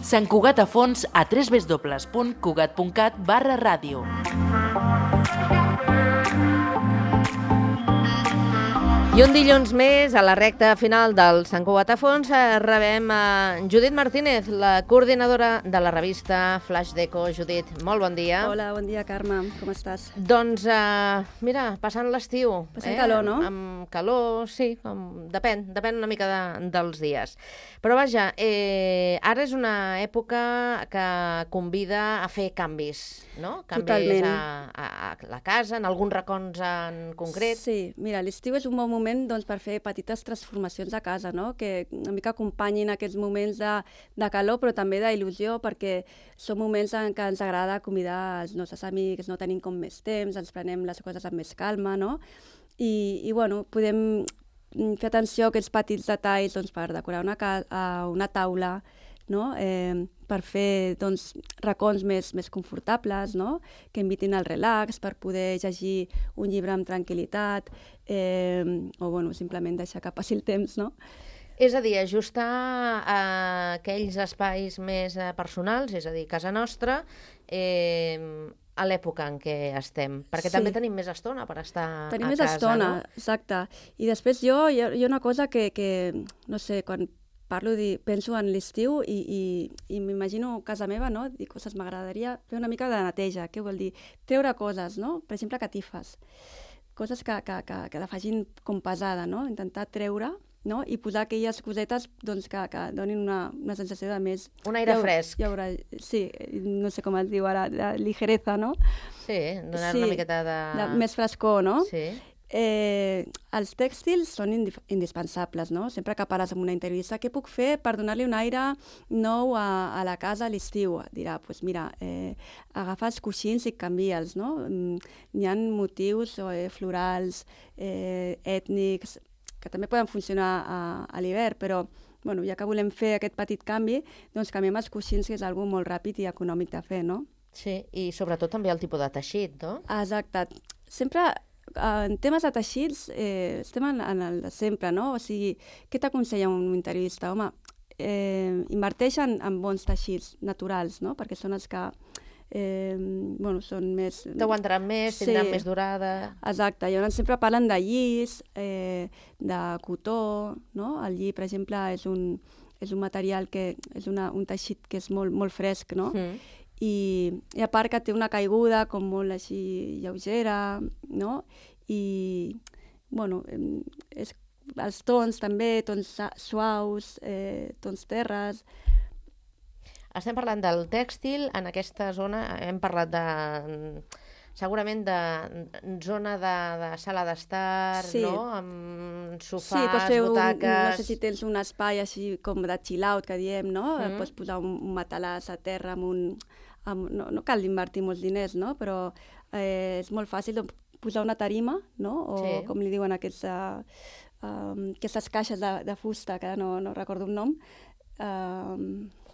Sant Cugat a fons a www.cugat.cat/ràdio. I un dilluns més, a la recta final del Sant Cugat a fons, rebem a Judit Martínez, la coordinadora de la revista Flash Deco. Judit, molt bon dia. Hola, bon dia, Carme. Com estàs? Doncs, mira, passant l'estiu. Passant calor, no? Amb calor, sí, depèn una mica dels dies. Però vaja, ara és una època que convida a fer canvis, no? Canvis a la casa, en alguns racons en concret. Sí, mira, l'estiu és un bon moment per fer petites transformacions a casa, no? Que una mica acompanyin aquests moments de calor, però també d'il·lusió, perquè són moments en què ens agrada convidar els nostres amics, no tenim com més temps, ens prenem les coses amb més calma, no? I bueno, podem fer atenció a aquests petits detalls per decorar una taula, no? Per fer racons més confortables, no? Que invitin al relax, per poder llegir un llibre amb tranquil·litat, o simplement deixar que passi el temps, no? És a dir, ajustar aquells espais més personals, és a dir, casa nostra, a l'època en què estem, perquè també tenim més estona per estar a casa. Tenim més estona, exacte. I després hi ha una cosa que no sé, quan penso en l'estiu i m'imagino casa meva, no? Dic, m'agradaria fer una mica de neteja. Què vol dir? Treure coses, no? Per exemple, catifes. Coses que la facin com pesada, no? Intentar treure, no? I posar aquelles cosetes que donin una sensació de més... Un aire fresc. Sí, no sé com es diu ara, de ligereza, no? Sí, donar una miqueta de... Més frescor, no? Sí. Els tèxtils són indispensables, no? Sempre que parles amb una interioista, què puc fer per donar-li un aire nou a la casa a l'estiu? Dirà, doncs mira, agafa els coixins i canvia'ls, no? Hi ha motius florals, ètnics, que també poden funcionar a l'hivern, però ja que volem fer aquest petit canvi, doncs canviem els coixins, que és una cosa molt ràpid i econòmic de fer, no? Sí, i sobretot també el tipus de teixit, no? Exacte. Sempre... En temes de teixits, estem en el de sempre, no? O sigui, què t'aconsella un interiorista? Home, inverteix en bons teixits naturals, no? Perquè són els que són més... T'aguantaran més, tindran més durada... Exacte. Llavors sempre parlen de llis, de cotó, no? El lli, per exemple, és un material que és un teixit que és molt, molt fresc, no? I a part que té una caiguda com molt així lleugera, no? I, els tons també, tons suaus, tons terres... Estem parlant del tèxtil, en aquesta zona hem parlat segurament de zona de sala d'estar, no? Amb sofàs, butaques... No sé si tens un espai així com de chill-out, que diem, no? Pots posar un matalàs a terra no cal invertir molts diners, no? Però és molt fàcil posar una tarima, no? O com li diuen aquestes caixes de fusta, que no recordo un nom.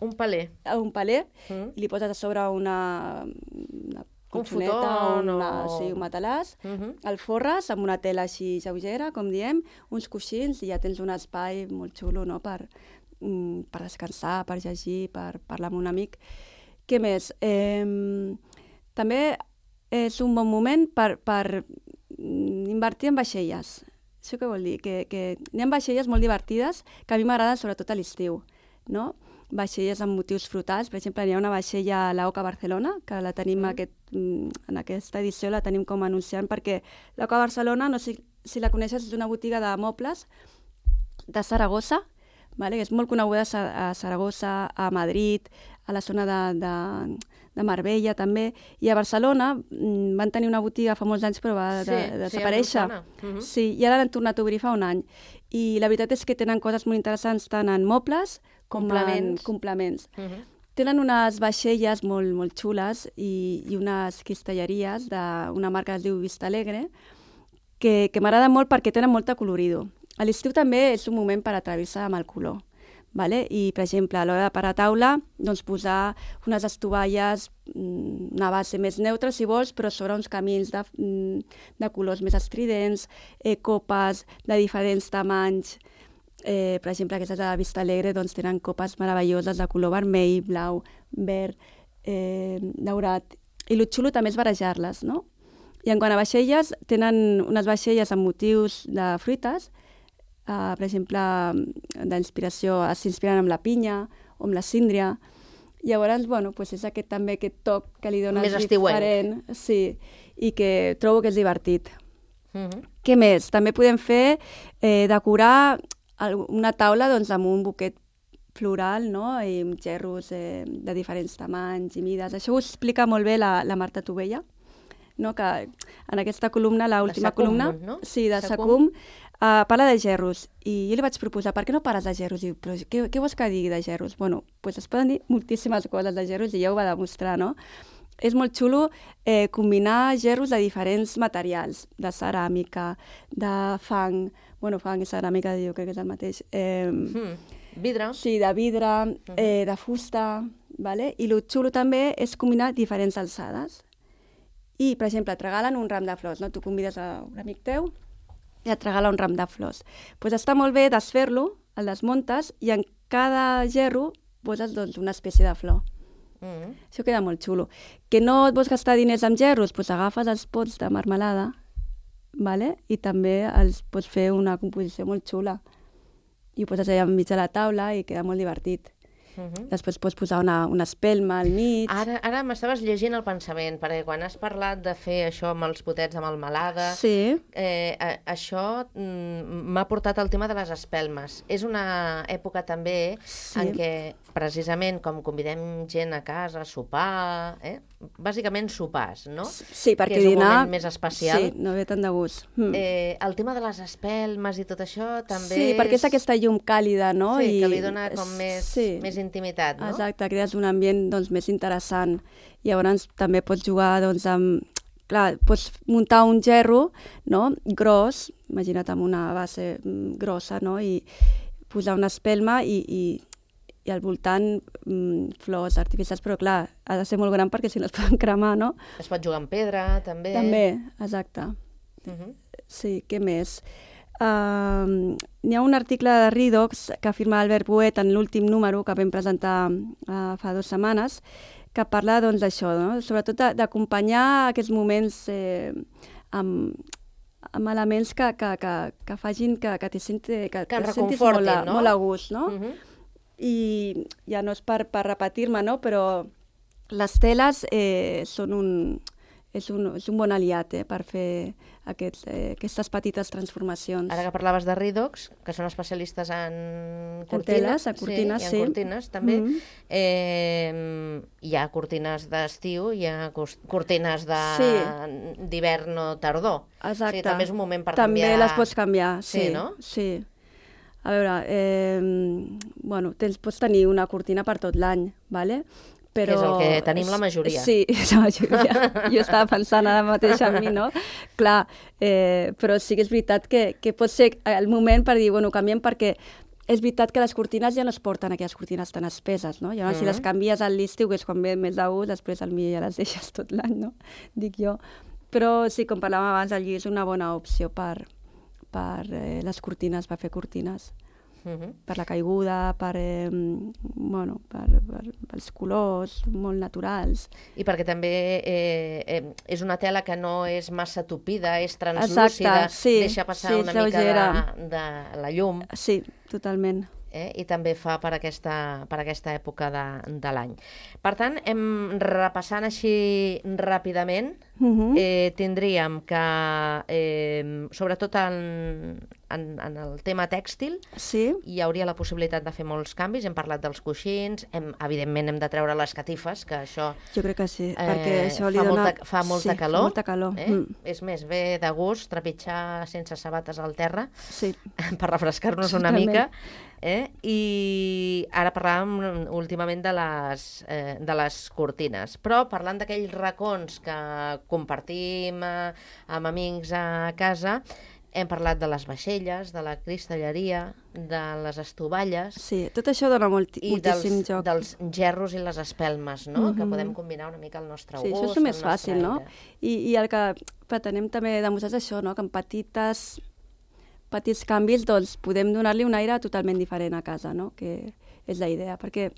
Un paler. Un paler, i li poses a sobre una colxoneta, un matalàs, el forres amb una tela així lleugera, com diem, uns coixins, i ja tens un espai molt xulo, no? Per descansar, per llegir, per parlar amb un amic. Què més? També és un bon moment per invertir en vaixelles. Això què vol dir? Que hi ha vaixelles molt divertides que a mi m'agraden sobretot a l'estiu, no? Vaixelles amb motius frutals. Per exemple, hi ha una vaixella a l'Oca Barcelona, que la tenim en aquesta edició, la tenim com a anunciant, perquè l'Oca Barcelona, no sé si la coneixes, és una botiga de mobles de Saragossa, que és molt coneguda a Saragossa, a Madrid, a la zona de Marbella també, i a Barcelona van tenir una botiga fa molts anys però va desaparèixer. Sí, i ara l'han tornat a obrir fa un any. I la veritat és que tenen coses molt interessants tant en mobles com en complements. Tenen unes vaixelles molt, molt xules i unes cristalleries d'una marca que es diu Vista Alegre que m'agrada molt perquè tenen molta colorido. A l'estiu també és un moment per atrevir-se amb el color. I, per exemple, a l'hora de parar a taula, posar unes estovalles, una base més neutra, si vols, però sobre uns camins de colors més estridents, copes de diferents tamanys, per exemple, aquestes de Vista Alegre doncs, tenen copes meravelloses de color vermell, blau, verd, daurat. I el xulo també és barejar-les, no? I en quant a vaixelles, tenen unes vaixelles amb motius de fruites, per exemple, d'inspiració, s'inspiren amb la pinya o amb la síndria. Llavors, bueno, pues és també aquest toc que li dones diferent. Sí, i que trobo que és divertit. Què més? També podem fer, decorar una taula doncs, amb un buquet floral, no? I amb gerros de diferents tamanys i mides. Això ho explica molt bé la Marta Tovella, no? Que en aquesta columna, l'última columna, no? Sí, de Sacum, parla de gerros. I jo li vaig proposar, per què no pares de gerros? I diu, però què vols que digui de gerros? Bueno, doncs es poden dir moltíssimes coses de gerros i ja ho va demostrar, no? És molt xulo combinar gerros de diferents materials, de ceràmica, de fang, bueno, fang i ceràmica jo crec que és el mateix. Vidre. Sí, de vidre, de fusta, vale? I el xulo també és combinar diferents alçades. I, per exemple, et regalen un ram de flors, no? Tu convides a un amic teu i et regala un ram de flors. Doncs està molt bé desfer-lo, el desmuntes, i en cada gerro poses doncs, una espècie de flor. Això queda molt xulo. Que no et vols gastar diners en gerros? Doncs agafes els pots de marmelada, vale? I també els pots fer una composició molt xula. I ho poses allà enmig de la taula i queda molt divertit. Després pots posar una espelma al mig. Ara m'estaves llegint el pensament, perquè quan has parlat de fer això amb els potets de melmelada, sí. Això m'ha portat al tema de les espelmes. És una època també en què, precisament, com convidem gent a casa a sopar, bàsicament sopars, no? Sí, perquè que és dinar... un moment més especial. Sí, no ve tant de gust. El tema de les espelmes i tot això també... Sí, perquè és aquesta llum càlida, no? Sí, que li dona com més intimitat, no? Exacte, crees un ambient doncs, més interessant. Llavors també pots jugar doncs, amb... Clar, pots muntar un gerro, no? Gros, imagina't amb una base grossa, no? I posar una espelma i al voltant flors artificials, però clar, ha de ser molt gran perquè si no es poden cremar, no? Es pot jugar amb pedra, també. També, exacte. Sí, què més? N'hi ha un article de Redox que afirma Albert Boet en l'últim número que vam presentar fa 2 setmanes, que parla doncs d'això, no? Sobretot d'acompanyar aquests moments amb elements que facin que te sentis molt a gust, no? I ja no és per repetir-me, no? Però les teles són un bon aliat per fer aquestes petites transformacions. Ara que parlaves de Redox, que són especialistes en cortines, cortines, sí, i en cortines també, hi ha cortines d'estiu, hi ha cortines d'hivern o tardor. Exacte. O sigui, també és un moment per canviar. També les pots canviar, sí, no? Sí. A veure, pots tenir una cortina per tot l'any, ¿vale? Però... Que és el que tenim la majoria. Sí, és la majoria. Jo estava pensant ara mateix en mi, no? Clar, però sí que és veritat que pot ser el moment per dir, bueno, canviem perquè és veritat que les cortines ja no es porten aquelles cortines tan espeses, no? Llavors, si les canvies a l'estiu, que és quan ve més de gust, després al millor ja les deixes tot l'any, no? Dic jo. Però sí, com parlàvem abans, el lli és una bona opció per les cortines, per fer cortines. Per la caiguda, pels colors molt naturals. I perquè també és una tela que no és massa tupida, és translúcida, deixa passar una mica de la llum. Sí, totalment. I també fa per aquesta època de l'any. Per tant, repassant així ràpidament, tindríem que, sobretot en el tema tèxtil, hi hauria la possibilitat de fer molts canvis. Hem parlat dels coixins, evidentment hem de treure les catifes, que això... Jo crec que sí, perquè això li dona... Fa molta calor. Fa molta calor. És més, ve de gust trepitjar sense sabates al terra, per refrescar-nos una mica. I ara parlàvem últimament de les cortines, però parlant d'aquells racons que compartim amb amics a casa, hem parlat de les vaixelles, de la cristalleria, de les estovalles... Sí, tot això dona moltíssim joc. I dels gerros i les espelmes, no? Que podem combinar una mica al nostre gust. Sí, això és el més fàcil, no? I el que pretenem també demostrar és això, no? Que amb petits canvis, doncs podem donar-li un aire totalment diferent a casa, no? Que és la idea, perquè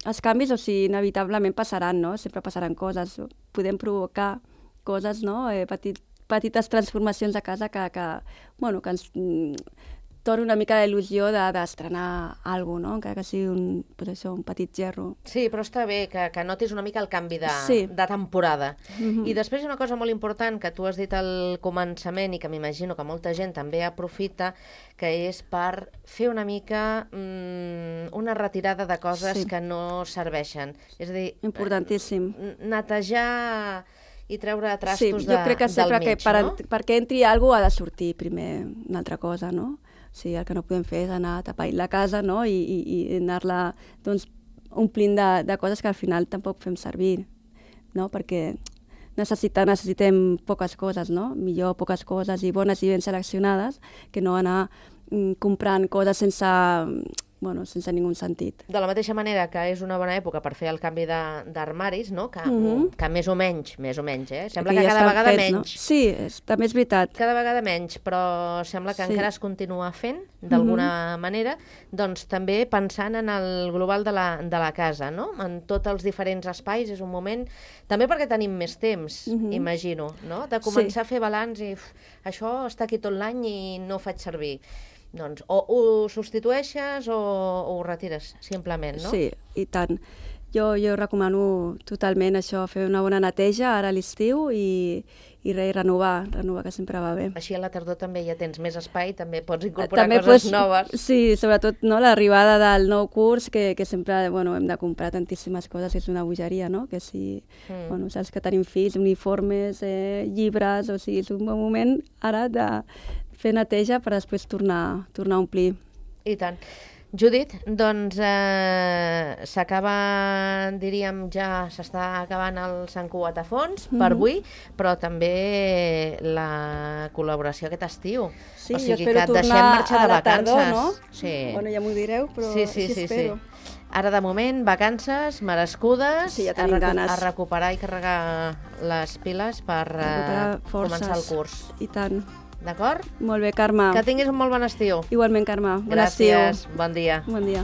els canvis, o sigui, inevitablement passaran, no? Sempre passaran coses, podem provocar coses, no? Petites transformacions a casa que ens torna una mica d'il·lusió d'estrenar alguna cosa, no? Encara que sigui un petit gerro. Sí, però està bé que notis una mica el canvi de temporada. I després hi ha una cosa molt important que tu has dit al començament i que m'imagino que molta gent també aprofita, que és per fer una mica una retirada de coses que no serveixen. És a dir, importantíssim. Netejar i treure trastos del mig, no? Jo crec que sempre que perquè entri alguna cosa ha de sortir primer una altra cosa, no? O sigui, el que no podem fer és anar tapant la casa, no? I anar-la omplint de coses que al final tampoc fem servir, no? Perquè necessitem poques coses, no? Millor poques coses i bones i ben seleccionades que no anar comprant coses sense ningú sentit. De la mateixa manera que és una bona època per fer el canvi d'armaris, no? Que més o menys, sembla que cada vegada menys. No? Sí, també és veritat. Cada vegada menys, però sembla que encara es continua fent, d'alguna manera, doncs també pensant en el global de la casa, no? En tots els diferents espais és un moment, també perquè tenim més temps, imagino, no? De començar a fer balanç i això està aquí tot l'any i no ho faig servir. Doncs o ho substitueixes o ho retires, simplement, no? Sí, i tant. Jo recomano totalment això, fer una bona neteja ara a l'estiu i renovar, que sempre va bé. Així a la tardor també ja tens més espai, també pots incorporar coses noves. Sí, sobretot l'arribada del nou curs, que sempre hem de comprar tantíssimes coses, és una bogeria, no? Que si, saps que tenim fills, uniformes, llibres, o sigui, és un bon moment ara de fer neteja per després tornar a omplir. I tant. Judit, doncs s'acaba, diríem, ja s'està acabant el Sant Cugat a fons per avui, però també la col·laboració aquest estiu. Sí, o sigui jo espero que deixem marxar de vacances. Tardor, no? Sí. Bueno, ja m'ho direu, però sí espero. Ara, de moment, vacances merescudes, sí, ja tenim ganes. A recuperar i carregar les piles per començar el curs. I tant. D'acord? Molt bé, Carme. Que tinguis un molt bon estiu. Igualment, Carme. Bon estiu. Gràcies. Bon dia. Bon dia.